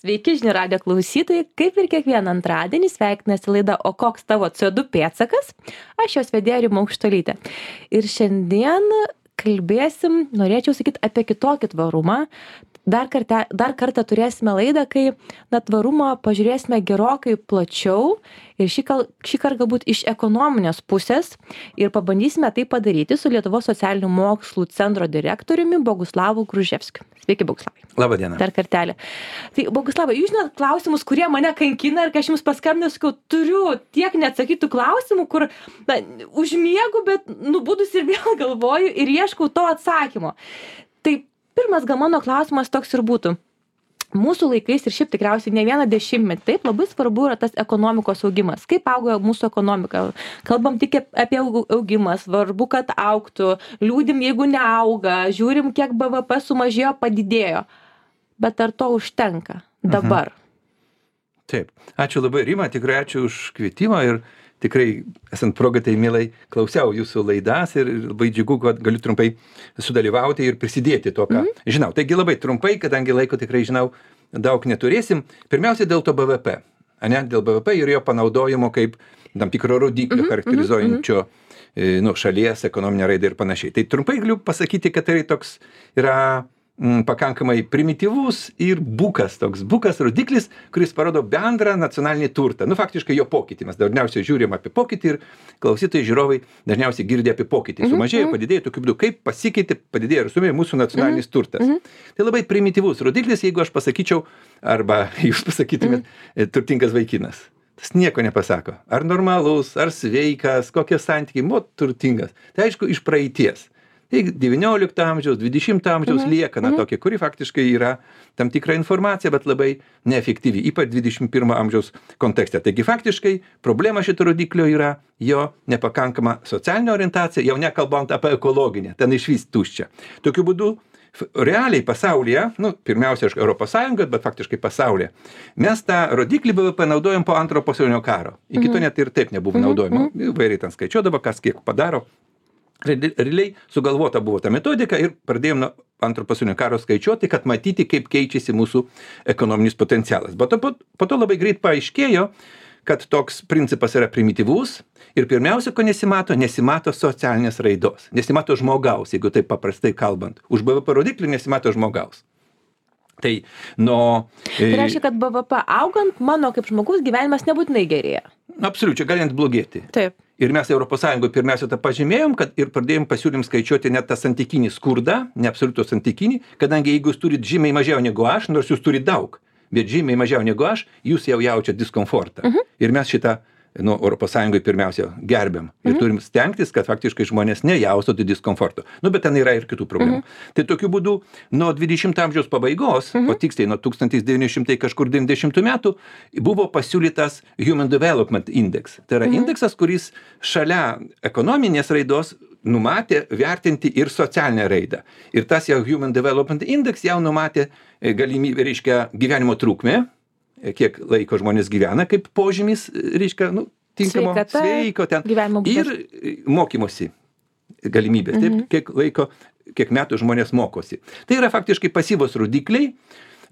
Sveiki, žinių radio klausytojai, kaip ir kiekvieną antradienį sveikinasi laida O koks tavo CO2 pėdsakas? Aš jos vedėja Rima Aukštuolytė. Ir šiandien kalbėsim, norėčiau sakyti, apie kitokį tvarumą. Dar kartą turėsime laidą, kai tvarumą pažiūrėsime gerokai plačiau ir šį kartą galbūt iš ekonominės pusės ir pabandysime tai padaryti su Lietuvos socialinių mokslų centro direktoriumi Boguslavu Gruževskiu. Sveiki, Boguslavai. Labą dieną. Dar kartelį. Tai, Boguslavai, jūs žinot klausimus, kurie mane kankina ir kai aš jums paskambinau, sakiau, turiu tiek neatsakytų klausimų, kur užmiegu, bet nubudus ir vėl galvoju ir ieškau to atsakymo. Tai pirmas gal mano klausimas toks ir būtų. Mūsų laikais ir šiaip tikriausiai ne vieną dešimtmetį, taip, labai svarbu yra tas ekonomikos augimas. Kaip auga mūsų ekonomika? Kalbam tik apie augimą, svarbu, kad augtų, liūdim, jeigu neauga, žiūrim, kiek BVP sumažėjo, padidėjo. Bet ar to užtenka dabar? Taip. Ačiū labai, Rima, tikrai ačiū už kvietimą ir tikrai, esant progą, tai mielai klausiau jūsų laidas ir labai džiugu, kad galiu trumpai sudalyvauti ir prisidėti to, ką žinau. Taigi labai trumpai, kadangi laiko tikrai žinau, daug neturėsim. Pirmiausia, dėl to BVP. Dėl BVP ir jo panaudojimo kaip tam tikro rodiklio charakterizuojančio šalies ekonominę raidą ir panašiai. Tai trumpai galiu pasakyti, kad tai toks yra pakankamai primityvus ir bukas rodiklis, kuris parodo bendrą nacionalinį turtą. Faktiškai jo pokytį. Mes dažniausiai žiūrim apie pokytį ir klausytojai, žiūrovai dažniausiai girdė apie pokytį. Sumažėjo, padidėjo, tokiu būdu, kaip pasikeitė, padidėjo ir sumėjo mūsų nacionalinis turtas. Tai labai primityvus rodiklis, jeigu aš pasakyčiau, arba jūs pasakytumėt, turtingas vaikinas. Tas nieko nepasako. Ar normalus, ar sveikas, kokie santykiai, turtingas. Tai aišku, iš praeities. Tai 19 amžiaus, 20 amžiaus liekana tokia, kuri faktiškai yra tam tikra informacija, bet labai neefektyvi, ypač 21 amžiaus kontekste. Taigi faktiškai problema šito rodiklio yra jo nepakankama socialinė orientacija, jau nekalbant apie ekologinę, ten išvis tuščia. Tokiu būdu realiai pasaulyje, pirmiausia, Europos Sąjungoje, bet faktiškai pasaulyje, mes tą rodiklį BVP naudojam po Antrojo pasaulinio karo. Iki to net ir taip nebuvo naudojama. Vairiai ten skaičiuodavo, kas kiek padaro. Realiai sugalvota buvo ta metodika ir pradėjom nuo Antrojo pasaulinio karo skaičiuoti, kad matyti, kaip keičiasi mūsų ekonominis potencialas. Bet po to labai greit paaiškėjo, kad toks principas yra primityvus ir pirmiausia, ko nesimato socialinės raidos. Nesimato žmogaus, jeigu taip paprastai kalbant. Už BVP rodiklį nesimato žmogaus. Tai reiškia, kad BVP augant, mano kaip žmogus gyvenimas nebūtinai gerėja. Absoliučiai, gali net blogėti. Taip. Ir mes Europos Sąjungoje pirmiausia tą pažymėjom, kad ir pradėjom pasiūlym skaičiuoti net tą santykinį skurdą, ne absoliutų santykinį, kadangi jeigu jūs turit žymiai mažiau negu aš, nors jūs turit daug, bet žymiai mažiau negu aš, jūs jau jaučiat diskomfortą. Ir mes šitą Europos Sąjungoje pirmiausia gerbiam. Ir turim stengtis, kad faktiškai žmonės nejaustų diskomforto. Bet ten yra ir kitų problemų. Tai tokiu būdu nuo 20 amžiaus pabaigos, o tiksliai nuo 1990 metų, buvo pasiūlytas Human Development Index. Tai yra indeksas, kuris šalia ekonominės raidos numatė vertinti ir socialinę raidą. Ir tas jau Human Development Index jau numatė galimybę, reiškia, gyvenimo trukmę, kiek laiko žmonės gyvena, kaip požymis, reiškia, tinkamo, sveiko ten. Ir mokymosi galimybės, taip, kiek metų žmonės mokosi. Tai yra faktiškai pasyvos rodikliai,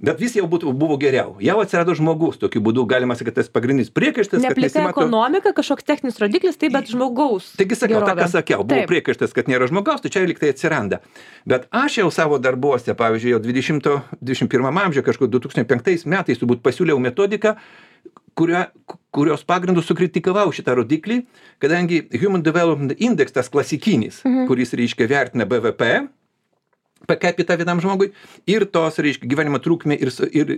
bet vis jau buvo geriau. Jau atsirado žmogus, tokiu būdu galima sakyti, tas pagrindinis priekaištas, kad neplika ekonomika, kažkoks techninis rodiklis, tai bet žmogaus. Taigi sakiau, tą ką sakiau, buvo priekaištas, kad nėra žmogaus, tai čia lyg tai atsiranda. Bet aš jau savo darbuose, pavyzdžiui, jau 21 amžiuje, kažkur 2005 metais turbūt pasiūliau metodiką, kurios pagrindų sukritikavau šitą rodiklį, kadangi Human Development Index, tas klasikinis, kuris, reiškia, vertina BVP, per capita vienam žmogui ir tos, reiškia, gyvenimo trukmė ir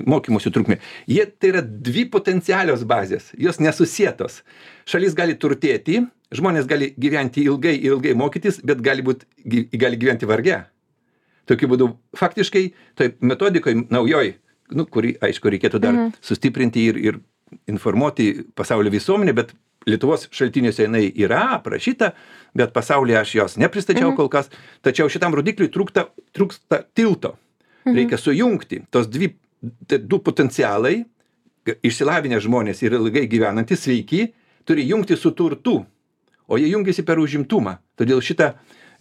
mokymosi trukmė. Tai yra dvi potencialios bazės, jos nesusietos. Šalis gali turtėti, žmonės gali gyventi ilgai mokytis, bet gali gyventi varge. Tokiu būdu, faktiškai, toj metodikoje naujoj, kurį, aišku, reikėtų dar sustiprinti ir informuoti pasaulio visuomenę, bet Lietuvos šaltiniuose jinai yra aprašyta, bet pasaulyje aš jos nepristačiau kol kas, tačiau šitam rodikliui trūksta tilto. Reikia sujungti tos du potencialai, išsilavinę žmonės ir ilgai gyvenantys, sveiki, turi jungti su turtu, o jie jungiasi per užimtumą. Todėl šitą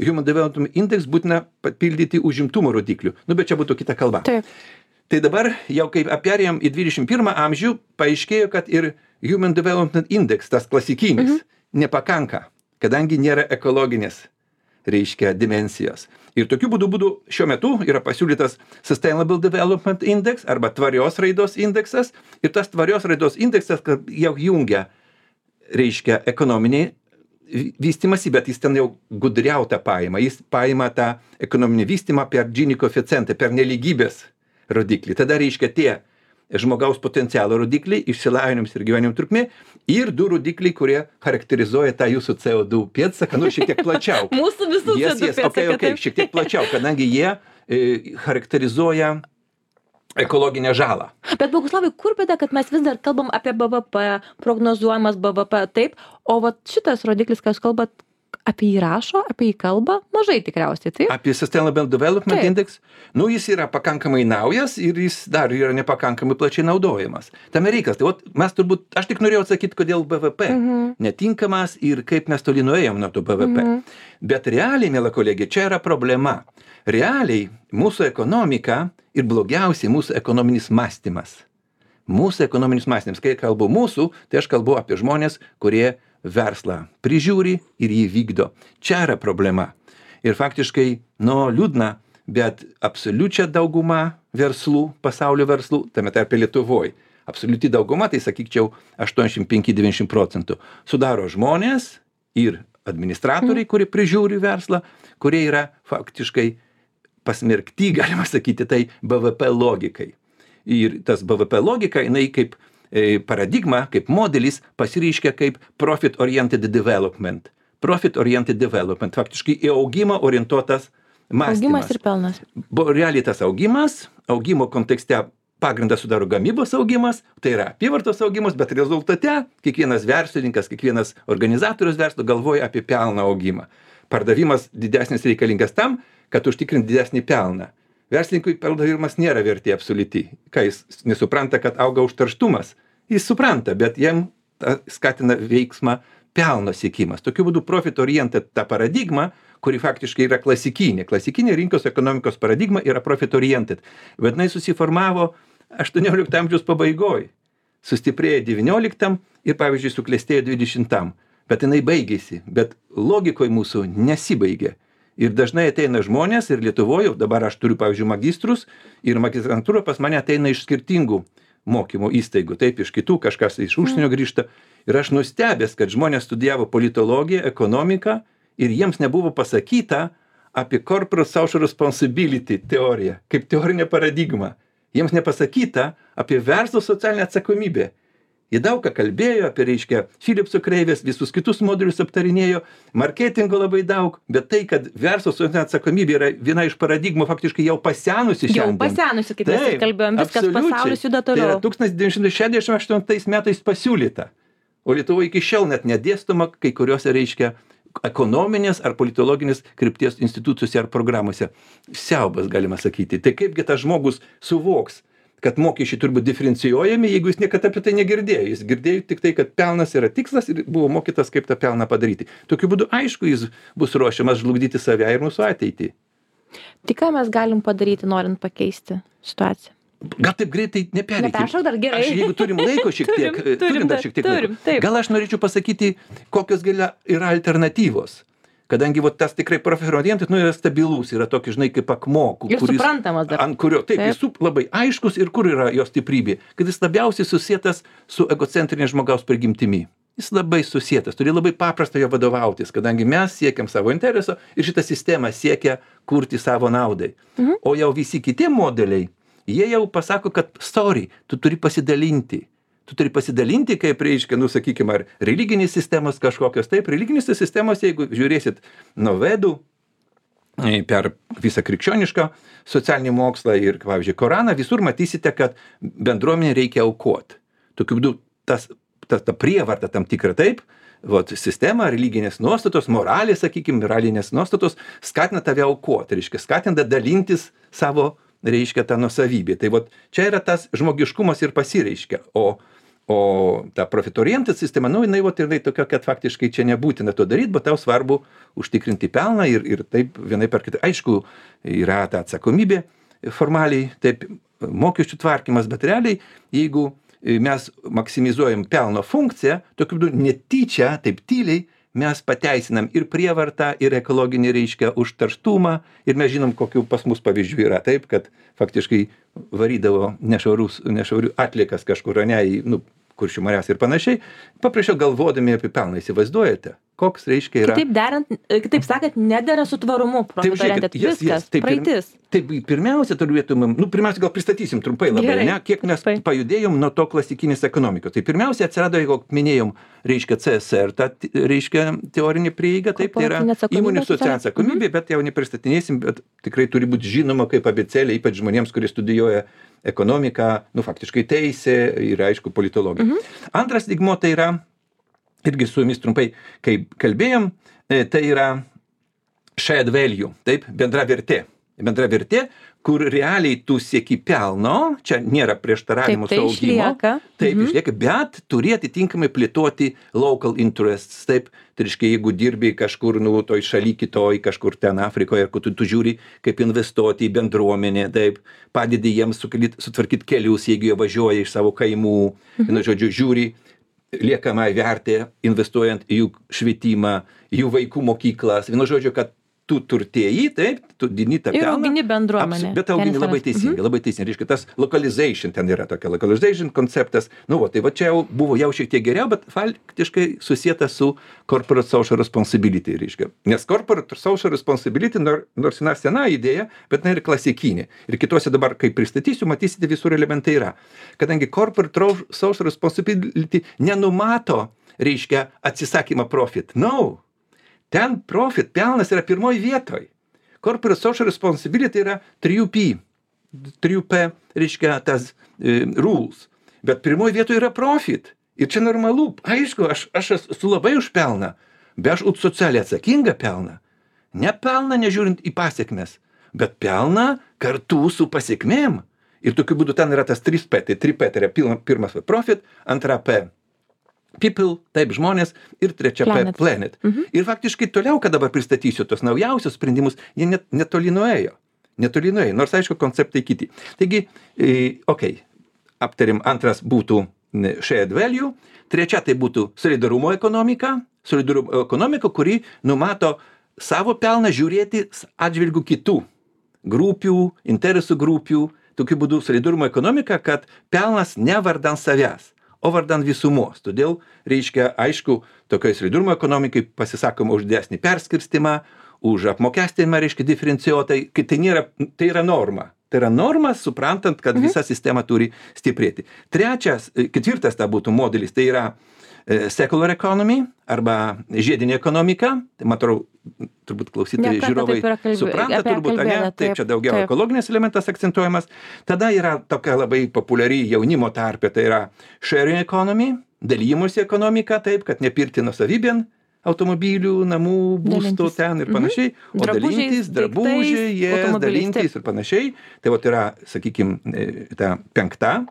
Human Development Index būtina papildyti užimtumo rodiklių. Bet čia būtų kita kalba. Taip. Tai dabar jau kaip perėjom į 21 amžių, paaiškėjo, kad ir Human Development Index, tas klasikinis, nepakanka, kadangi nėra ekologinės, reiškia, dimensijos. Ir tokiu būdu šiuo metu yra pasiūlytas Sustainable Development Index arba tvarios raidos indeksas. Ir tas tvarios raidos indeksas jau jungia, reiškia, ekonominį vystimąsi, bet jis ten jau gudriautą paima. Jis paima tą ekonominį vystymą per Gini koeficientą, per nelygybės rodiklį. Tada reiškia tie žmogaus potencialo rodikliai, išsilavinimas ir gyvenimo trukmė ir 2 rodikliai, kurie charakterizuoja tą jūsų CO2 pėdsaką, šiek tiek plačiau. Mūsų visų CO2 pėdsaką. Okay, šiek tiek plačiau, kadangi jie charakterizuoja ekologinę žalą. Bet Boguslavai, kur bėda, kad mes vis dar kalbam apie BVP, prognozuojamas BVP, taip, o vat šitas rodiklis, ką jūs kalbat, apie jį rašo, apie jį kalba, mažai tikriausiai, taip? Apie Sustainable Development Index, jis yra pakankamai naujas ir jis dar yra nepakankamai plačiai naudojamas. Tame reikalas, tai mes turbūt, aš tik norėjau atsakyti, kodėl BVP netinkamas ir kaip mes toli nuėjom nuo to BVP. Bet realiai, mėla kolegė, čia yra problema. Realiai mūsų ekonomika ir blogiausiai mūsų ekonominis mąstymas. Mūsų ekonominis mąstymas, kai kalbu mūsų, tai aš kalbu apie žmonės, kurie verslą prižiūri ir jį vykdo. Čia yra problema. Ir faktiškai, liūdna, bet absoliučia dauguma verslų, pasaulio verslų, tame tarpe Lietuvoj, absoliuti dauguma, tai sakyčiau 85-90%, sudaro žmonės ir administratoriai, kurie prižiūri verslą, kurie yra faktiškai pasmerkti, galima sakyti, tai BVP logikai. Ir tas BVP logika, jinai kaip paradigma, kaip modelis pasireiškia kaip profit oriented development. Profit oriented development, faktiškai į augimą orientuotas mąstymas. Augimas ir pelnas. Realiai tas augimo kontekste pagrindą sudaro gamybos augimas, tai yra apyvartos augimas, bet rezultate kiekvienas verslininkas, kiekvienas organizatorius verslo galvoja apie pelno augimą. Pardavimas didesnis reikalingas tam, kad užtikrinti didesnį pelną. Verslininkui pardavimas nėra vertė absoliuti. Kai jis nesupranta, kad auga užterštumas, jis supranta, bet jam skatina veiksmą pelno siekimas. Tokiu būdu profit oriented ta paradigma, kuri faktiškai yra klasikinė. Klasikinė rinkos ekonomikos paradigma yra profit oriented. Bet jinai susiformavo 18 amžiaus pabaigoj. Sustiprėjo 19 ir, pavyzdžiui, suklestėjo 20. Bet jinai baigėsi. Bet logikoj mūsų nesibaigė. Ir dažnai ateina žmonės ir Lietuvoje, dabar aš turiu, pavyzdžiui, magistrus ir magistrantūra pas mane ateina iš skirtingų mokymo įstaigų, taip, iš kitų, kažkas iš užsienio grįžta. Ir aš nustebęs, kad žmonės studijavo politologiją, ekonomiką ir jiems nebuvo pasakyta apie corporate social responsibility teoriją, kaip teorinė paradigma. Jiems nepasakyta apie verslo socialinę atsakomybę. Jie daug ką kalbėjo apie, reiškia, Philipso kreivės, visus kitus modelius aptarinėjo, marketingo labai daug, bet tai, kad verslo socialinė atsakomybė yra viena iš paradigmų faktiškai jau pasenusi šiandien. Jau pasenusi, kaip mes ir kalbėjom, viskas pasaulis juda toliau. Tai yra 1968 metais pasiūlyta, o Lietuvoje iki šiol net nedėstoma kai kuriuose, reiškia, ekonominės ar politologinės krypties institucijose ar programuose. Siaubas, galima sakyti. Tai kaipgi tas žmogus suvoks, kad mokesčiai turi būti diferencijuojami, jeigu jis niekada apie tai negirdėjo. Jis girdėjo tik tai, kad pelnas yra tikslas ir buvo mokytas, kaip tą pelną padaryti. Tokiu būdu, aišku, jis bus ruošiamas žlugdyti save ir mūsų ateitį. Tai ką mes galim padaryti, norint pakeisti situaciją? Gal taip greitai nepereikim. Neperšok dar, gerai. Jeigu turim laiko šiek tiek, turim dar šiek tiek laiko. Gal aš norėčiau pasakyti, kokios yra alternatyvos. Kadangi tas tikrai profit oriented, yra stabilus, yra tokia, žinai, kaip akmuo, ir suprantamas dar. Ant kurio, taip, jis labai aiškus ir kur yra jo stiprybė, kad jis labiausiai susietas su egocentrinė žmogaus prigimtimi. Jis labai susietas, turi labai paprasta jo vadovautis, kadangi mes siekiam savo intereso ir šitą sistemą siekia kurti savo naudai. O jau visi kiti modeliai, jie jau pasako, kad sorry, tu turi pasidalinti. Tu turi pasidalinti, kaip reiškia, sakykime, ar religinės sistemos kažkokios. Taip, religinės sistemos, jeigu žiūrėsit nuo Vedų per visą krikščionišką socialinį mokslą ir, pavyzdžiui, Koraną, visur matysite, kad bendruomenė reikia aukoti. Tokiu būdu ta prievarta tam tikra, taip, sistema, religinės nuostatos, moralė, sakykime, moralinės nuostatos skatina tave aukoti, reiškia, skatina dalintis savo, reiškia, tą nuosavybę. Tai čia yra tas žmogiškumas ir pasireiškia. O ta profit oriented sistema, jinai tokia, kad faktiškai čia nebūtina to daryti, bet tau svarbu užtikrinti pelną ir taip vienai per kitą. Aišku, yra ta atsakomybė formaliai, taip, mokesčių tvarkymas, bet realiai, jeigu mes maksimizuojam pelno funkciją, tokiu būdu netyčia, taip tyliai, mes pateisinam ir prievartą, ir ekologinį, reiškia, užterštumą, ir mes žinom, kokių pas mus pavyzdžių yra, taip, kad faktiškai varydavo nešvarių atliekas kažkur, ne, į Kuršių marias ir panašiai, paprašiau galvodami apie pelną, įsivaizduojate, koks, reiškia, yra... Kitaip sakant, nedera su tvarumu, viskas, praeitis. Taip, pirmiausia, turėtumėm, pirmiausia, gal pristatysim trumpai labai, ne, kiek mes pajudėjom nuo to klasikinės ekonomikos. Tai pirmiausia, atsirado, jeigu minėjom, reiškia, CSR, ta, reiškia, teorinė prieiga, taip, tai yra įmonių socialinė atsakomybė, bet jau nepristatinėsim, bet tikrai turi būti žinoma kaip abėcėlė, ypač žmonėms, kurie studijuoja ekonomiką, faktiškai teisė ir, aišku, politologija. Antras lygmuo tai yra, irgi su jumis trumpai, kai kalbėjom, tai yra shared value, taip, bendra vertė. Bendra vertė, kur realiai tu sieki pelno, čia nėra prieštaravimo su augimo. Taip, išlieka, bet turi atitinkamai plėtoti local interests, taip, tai reiškia, jeigu dirbi kažkur, toj šaly kitoj, kažkur ten Afrikoje, kur tu žiūri, kaip investuoti į bendruomenę, taip, padedi jiems sutvarkyti kelius, jeigu jie važiuoja iš savo kaimų, žodžiu, žiūri liekamą vertę, investuojant į jų švietimą, jų vaikų mokyklas, žodžiu, kad tu turtėjai, taip, tu dini tą pelną. Ir augini bendruomenę. Bet augini labai teisingai, labai teisingai. Reiškia, tas localization, ten yra tokia localization konceptas. Tai va čia jau buvo šiek tiek geriau, bet faktiškai susijęta su corporate social responsibility, reiškia. Nes corporate social responsibility, nors sena idėja, bet ir klasikinė. Ir kitose dabar, kai pristatysiu, matysite, visur elementai yra. Kadangi corporate social responsibility nenumato, reiškia, atsisakymą profit. Ten profit, pelnas yra pirmoji vietoj. Corporate social responsibility yra 3P, reiškia, tas rules. Bet pirmoji vietoj yra profit. Ir čia normalu. Aišku, aš esu labai už pelną, bet aš už socialiai atsakingą pelną. Ne pelną nežiūrint į pasiekmes, bet pelną kartu su pasiekmėm. Ir tokiu būdu ten yra tas 3P. Tai 3P tai yra pirmas profit, antra P. People, taip, žmonės, ir trečia planet. Ir faktiškai toliau, kad dabar pristatysiu tos naujausius sprendimus, jie netoli nuėjo. Nors, aišku, konceptai kiti. Taigi, aptarim, antras būtų shared value, trečia tai būtų solidarumo ekonomika, kuri numato savo pelną žiūrėti atžvilgių kitų grupių, interesų grupių, tokiu būdu solidarumo ekonomika, kad pelnas ne vardan savęs, o vardan visumos. Todėl, reiškia, aišku, tokioje solidarumo ekonomikai pasisakoma už didesnį perskirstimą, už apmokestinimą, reiškia, diferencijuotai, kai tai yra norma. Tai yra norma, suprantant, kad visa sistema turi stiprėti. Ketvirtas ta būtų modelis, tai yra secular economy arba žiedinė ekonomika. Tai matau, turbūt klausytojai žiūrovai supranta, turbūt, taip čia daugiau ekologinis elementas akcentuojamas. Tada yra tokia labai populiari jaunimo tarpe, tai yra sharing economy, dalymosi ekonomika, taip, kad nepirkti nuosavybėn automobilių, namų, būstų ten ir panašiai, o dalintis, drabužiai, dalintis ir panašiai. Tai yra, sakykime, ta penkta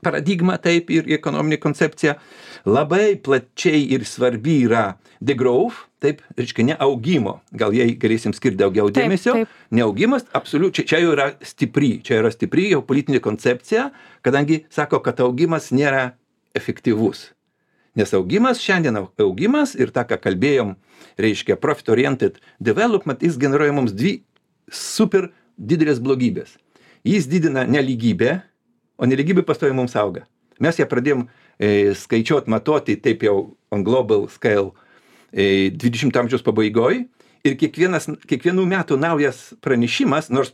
paradigma, taip, ir ekonominė koncepcija. Labai plačiai ir svarbi yra the growth, taip, reiškia, ne augimo. Gal jai galėsim skirti daugiau dėmesio. Ne augimas, absoliučiai, čia jau yra stipri jau politinė koncepcija, kadangi sako, kad augimas nėra efektyvus. Nes šiandien augimas ir tą, ką kalbėjom, reiškia profit-oriented development, jis generuoja mums dvi super didelės blogybės. Jis didina nelygybę, o nelygybė pastoviai mums auga. Mes ją pradėjom skaičiuoti, matuoti taip jau on global scale 20 amžiaus pabaigoj ir kiekvienų metų naujas pranešimas, nors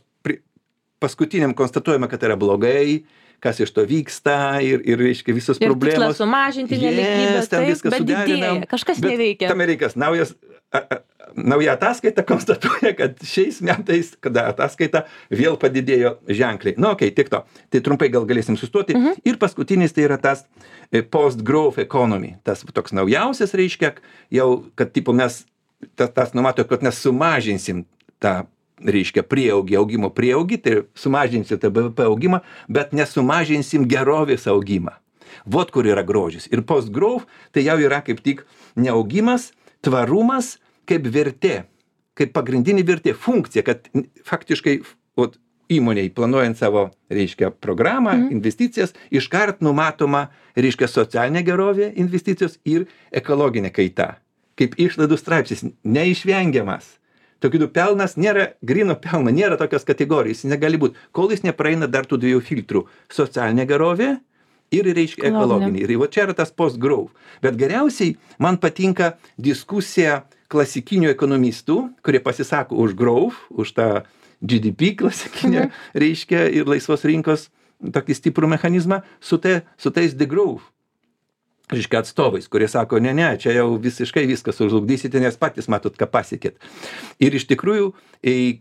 paskutiniam konstatuojama, kad yra blogai, kas iš to vyksta ir reiškia visos problemos. Ir tikslas sumažinti nelygybės, bet didėja, kažkas neveikia. Tame reikas nauja ataskaita konstatuoja, kad šiais metais, kada ataskaita vėl padidėjo ženkliai. Tiek to. Tai trumpai gal galėsim sustoti. Ir paskutinis tai yra tas post-growth economy. Tas toks naujausias reiškia, jau, kad mes tas numato, kad mes sumažinsim tą reiškia augimo prieaugį, tai sumažinsim tą BVP augimą, bet nesumažinsim gerovės augimą. Vot kur yra grožis. Ir post-growth tai jau yra kaip tik neaugimas, tvarumas kaip vertė, kaip pagrindinė vertė, funkcija, kad faktiškai įmonei planuojant savo, reiškia, programą, investicijas, iškart numatoma, reiškia, socialinė gerovė investicijos ir ekologinė kaita. Kaip išlaidų straipsnis, neišvengiamas. Tokiu pelnas nėra, grino pelno, nėra tokios kategorijos, jis negali būti, kol jis nepraeina dar tų dviejų filtrų. Socialinė gerovė ir, reiškia, ekologinė. Ir va čia yra tas post-growth. Bet geriausiai man patinka diskusija klasikinių ekonomistų, kurie pasisako už growth, už tą GDP klasikinę, reiškia, ir laisvos rinkos tokį stiprų mechanizmą su tais degrowth, reiškia, atstovais, kurie sako, ne, čia jau visiškai viskas sužlugdysite, nes patys matot, ką pasiekėt. Ir iš tikrųjų,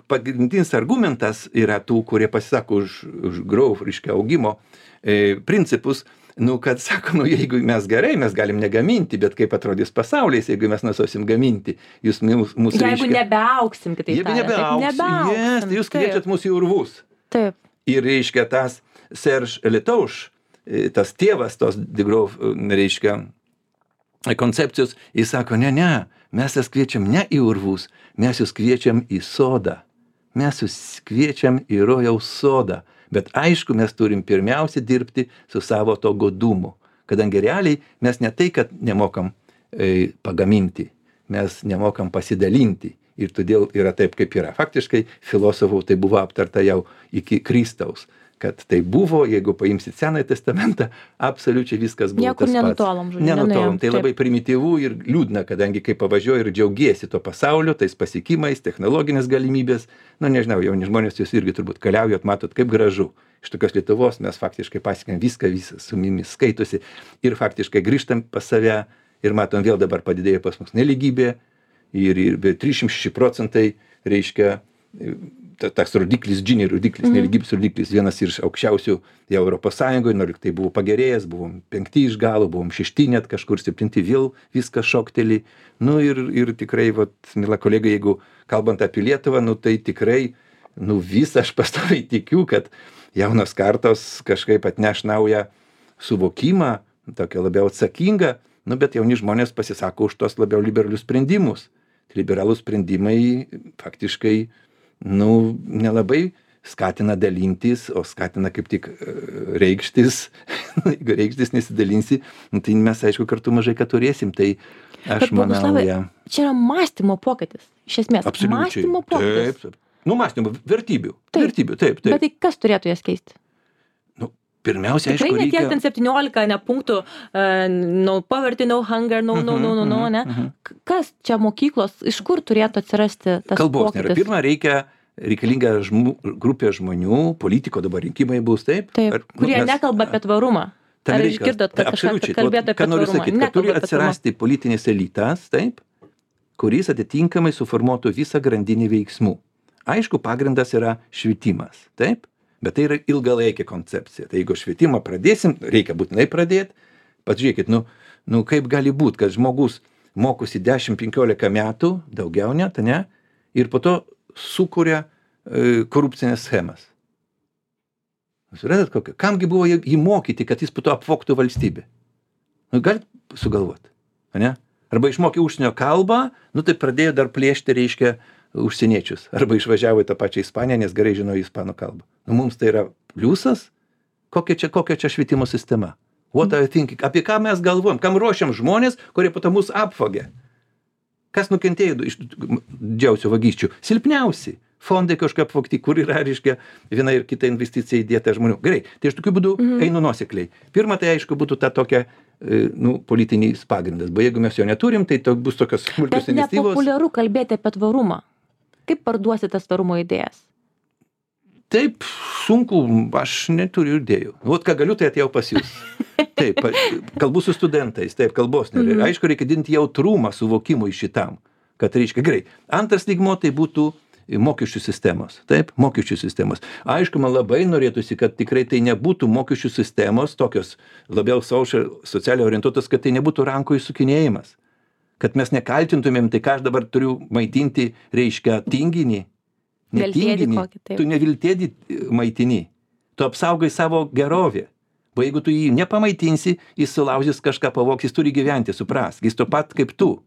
pagrindinis argumentas yra tų, kurie pasisako už growth, reiškia, augimo principus, kad sako, jeigu mes gerai, mes galim negaminti, bet kaip atrodys pasaulis, jeigu mes nesuosim gaminti, jūs mūsų jeigu nebeauksim, kitaip nebeauksim, jūs kviečiat mūsų į urvus. Taip. Ir, reiškia, tas Serge Letauš, tas tėvas tos degrowth, reiškia, koncepcijos, jis sako, ne, mes jas kviečiam ne į urvus, mes jūs kviečiam į sodą. Mes jūs kviečiam į rojaus sodą. Bet aišku, mes turim pirmiausia dirbti su savo to godumu. Kadangi realiai mes ne tai, kad nemokam pagaminti, mes nemokam pasidalinti. Ir todėl yra taip, kaip yra. Faktiškai, filosofų tai buvo aptarta jau iki Kristaus. Kad tai buvo, jeigu paimsit Senąjį testamentą, absoliučiai viskas buvo niekur tas pats. Nenutolom, žodžiu. Nenutolom. Tai labai primityvų ir liūdna, kadangi kai pavažiuoji ir džiaugiesi to pasaulio, tais pasiekimais, technologinės galimybės. Nežinau, jauni žmonės jūs irgi turbūt keliaujat, matot, kaip gražu. Iš tokios Lietuvos mes faktiškai pasiekėm viską su mumis skaitosi ir faktiškai grįžtam pas save ir matom, vėl dabar padidėjo pas mus nelygybė ir 306%, reiškia, tas rodiklis, Gini rodiklis, nelygybės rodiklis, vienas iš aukščiausių jau Europos Sąjungoje, nors tai buvo pagerėjęs, buvom 5 iš galo, buvom 6 net kažkur 7, vėl viskas šokteli. Ir tikrai, mila kolega, jeigu kalbant apie Lietuvą, tai tikrai, visą aš pastoviai tikiu, kad jaunos kartos kažkaip atneš naują suvokimą, tokią labiau atsakingą, bet jauni žmonės pasisako už tos labiau liberalius sprendimus. Liberalūs sprendimai faktiškai nelabai skatina dalintis, o skatina kaip tik reikštis. Jeigu reikštis nesidalinsi, tai mes, aišku, kartu mažai ką turėsim. Tai aš manau, čia yra mąstymo pokytis. Iš esmės, absoliučiai. Mąstymo pokytis. Taip. Mąstymo, vertybių. Vertybių, taip. Bet tai kas turėtų jas keisti? Pirmiausia, aišku, reikia. Tikrai ne tiek ten 17 punktų, no poverty, no hunger, no, ne? Kas čia mokyklos, iš kur turėtų atsirasti tas kalbos pokytis? Nėra. Pirma, reikalinga grupė žmonių, politiko dabar rinkimai bus, taip? Kurie nekalba apie tvarumą. Ar išgirdot, kad kažką kalbėtų apie tvarumą? Sakyti, kad turi atsirasti politinis elitas, taip, kuris atitinkamai suformuotų visą grandinį veiksmų. Aišku, pagrindas yra švietimas, taip? Bet tai yra ilgalaikė koncepcija. Tai jeigu švietimą pradėsim, reikia būtinai pradėti. Pažiūrėkit, kaip gali būti, kad žmogus mokosi 10-15 metų, daugiau net, ne? Ir po to sukuria korupcinės schemas. Suprantat kokią? Kamgi buvo jį mokyti, kad jis po to apvogtų valstybę? Galit sugalvoti, ne? Arba išmokė užsienio kalbą, tai pradėjo dar plėšti, reiškia, užsieniečius. Arba išvažiavo į tą pačią Ispaniją, nes gerai žinojo ispanų kalbą. Mums tai yra pliusas? Kokia čia švietimo sistema? What are you thinking? Apie ką mes galvojam? Kam ruošiam žmonės, kurie po to mus apvogė? Kas nukentėjo iš didžiausių vagysčių? Silpniausi. Fondai kažkaip apvogti, kur yra, reiškia, viena ir kita investicija įdėta žmonių. Gerai, tai aš tokiu būdu einu nuosekliai. Pirma, tai aišku būtų ta tokia politinis pagrindas. Bet jeigu mes jo neturim, tai bus tokios smulkios iniciatyvos. Bet nepopuliaru kalbėti apie tvarumą. Kaip parduosi tas tvarumo idėjas? Taip, sunku, aš neturiu idėjų. Ką galiu, tai atėjau pas jūs. Taip, kalbu su studentais, taip, kalbos nėra. Aišku, reikia didinti jautrumą suvokimui šitam, kad reiškia gerai. Antras lygmuo tai būtų mokesčių sistemos, taip, mokesčių sistemos. Aišku, man labai norėtųsi, kad tikrai tai nebūtų mokesčių sistemos, tokios labiau socialiai orientuotos, kad tai nebūtų rankų įsukinėjimas. Kad mes nekaltintumėm, tai ką aš dabar turiu maitinti, reiškia, tinginį. Netinginį, tu neviltėdį maitini. Tu apsaugai savo gerovę. O jeigu tu jį nepamaitinsi, jis sulaužys kažką, pavogs, jis turi gyventi, suprask. Jis to pat kaip tu.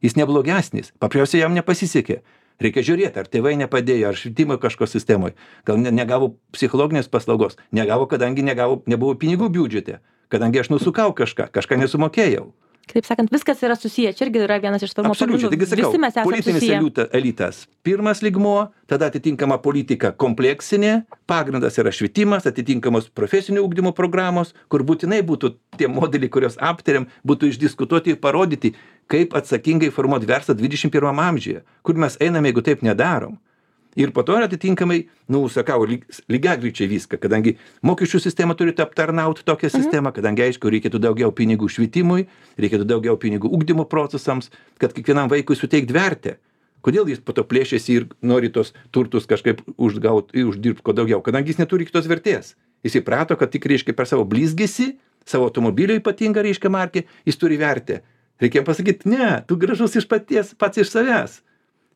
Jis neblogesnis. Paprasčiausiai jam nepasisekė. Reikia žiūrėti, ar tėvai nepadėjo, ar švietimo kažko sistemoje. Gal negavo psichologinės paslaugos. Negavo, kadangi nebuvo pinigų biudžete. Kadangi aš nusukau kažką nesumokėjau. Kitaip sakant, viskas yra susiję. Čia irgi yra vienas iš tvarumo Absoliučiai, taigi sakau, Visi mes esame politinis susiję. elitas. Pirmas lygmuo, tada atitinkama politika kompleksinė, pagrindas yra švietimas, atitinkamos profesinio ugdymo programos, kur būtinai būtų tie modeliai, kuriuos aptariam, būtų išdiskutuoti ir parodyti, kaip atsakingai formuoti verslą 21 amžiuje, kur mes einame, jeigu taip nedarom. Ir po to atitinkamai, sakau, lygiagrečiai viską, kadangi mokesčių sistema turi aptarnauti tokią sistemą, kadangi aišku, reikėtų daugiau pinigų švietimui, reikėtų daugiau pinigų ugdymo procesams, kad kiekvienam vaikui suteikti vertę. Kodėl jis po to plėšiasi ir nori tos turtus kažkaip uždirbti ko daugiau, kadangi jis neturi kitos vertės. Jis įprato, kad tik, reiškia, per savo blizgesį, savo automobilio ypatingą, reiškia, markę, jis turi vertę. Reikia pasakyti, ne, tu gražus iš paties, pats iš savęs.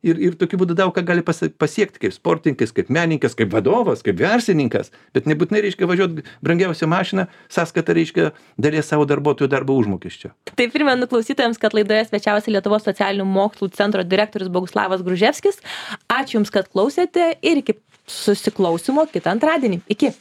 Ir tokiu būdu daug ką gali pasiekti kaip sportininkas, kaip menininkas, kaip vadovas, kaip verslininkas, bet nebūtinai reiškia važiuoti brangiausią mašiną, sąskaitą reiškia dalies savo darbuotojų darbo užmokesčio. Tai primenu klausytojams, kad laidoje svečiavosi Lietuvos socialinių mokslų centro direktorius Boguslavas Gruževskis. Ačiū Jums, kad klausėte ir iki susiklausimo kitą antradienį. Iki.